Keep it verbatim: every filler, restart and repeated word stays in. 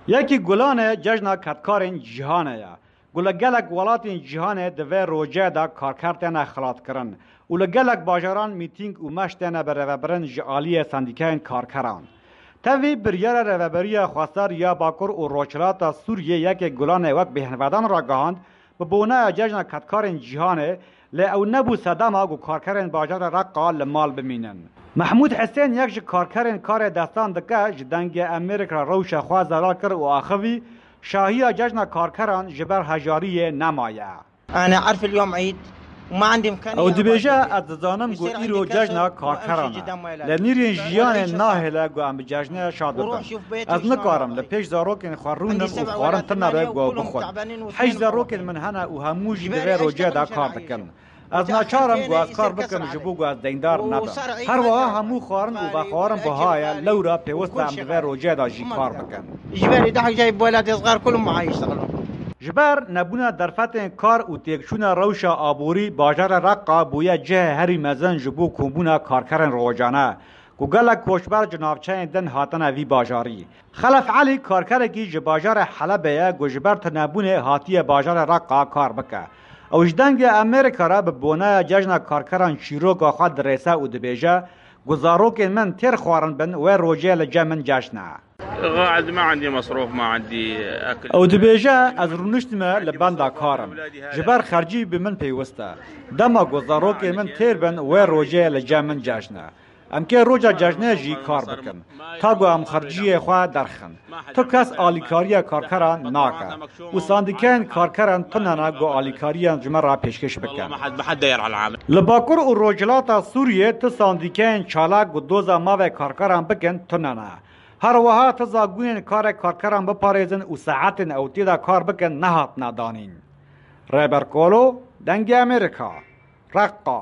Yekî Gulane cejna kedkarên cîhanê ye. Ku li gelek welatên cîhanê di vê rojê de karker têne xilatkirin û li gelek bajaran mîtîng û meş têne birêvebirin ji aliyê sendîkeyên karkeran. Tevî biryara Rêveberiya Xweseriya Bakur û Rojhilata Sûriyê Yekê Gulanê wek bêhnvedan ragihand, bi boneya cejna kedkarên cîhanê, lê ew nebû sedema ku karkerên bajarê Reqa li mal bimînin. Mehmûd Hisên, yek ji karkerên karê destan dike, ji Dengê Amerîka re rewşa xwe zelal kir û axivî, şahiya cejna karkeran ji ber hejariyê nemaye. أنا أعرف اليوم عيد وما عندي إمكانية Ew dibêje, ez dizanim ku îro cejna karkeran e. Lê nîrên jiyanê nahêle ku em bi cejnê şad bibin. Ez nikarim li pêş zarokên xwe rûnim û xwarin tune be ku ew bixwin. Heşt zarokên min hene û hemû jî di vê rojê de kar dikin. Ez naçar im ku ez kar bikim ji bo ku ez deyndar nebim. Her wiha hemû xwarin û vexwarin buha ye, lewra pêwist e em di vê rojê de jî kar bikin. Ji ber nebûna derfetên kar û têkçûna rewşa aborî, bajarê Reqa bûye cihê herî mezin ji bo kombûna karkerên rojane, ku gelek koçber ji navçeyên din hatine vî bajarî. Xelef Elî karkerekî ji bajarê Helebê ye ku ji ber tunebûnê hatiye bajarê Reqa kar bike. Ew ji Dengê Amerîka re bi boneya cejna karkeran çîroka xwe dirêse û dibêje, ku zarokên min têr xwarin bin, wê rojê li cem min cejn e. قاعد ما عندي مصروف، ما عندي أكل. Ew dibêje, ez rûniştime li benda kar im. Ji ber xercî bi min pêwist e. Dema ku zarokên min têr bin, wê rojê li cem min cejn e. Em kê roja cejnê jî kar bikin, ta ku em xerciyê xwe derxin. Tu kes alîkariya karkeran nake û sandîkeyên karkeran tune ne ku alîkariyan ji me re pêşkêş bikin. Li Bakur û Rojhilata Sûriyê tu sandîkeyên çalak ku doza mavê karkeran bikin tune ne. Her wiha tu zagûnên karê karkeran biparêzin û saetên ew tê de kar bikin nehatine danîn. Rêber Kolo, Dengê Amerîka, Reqa.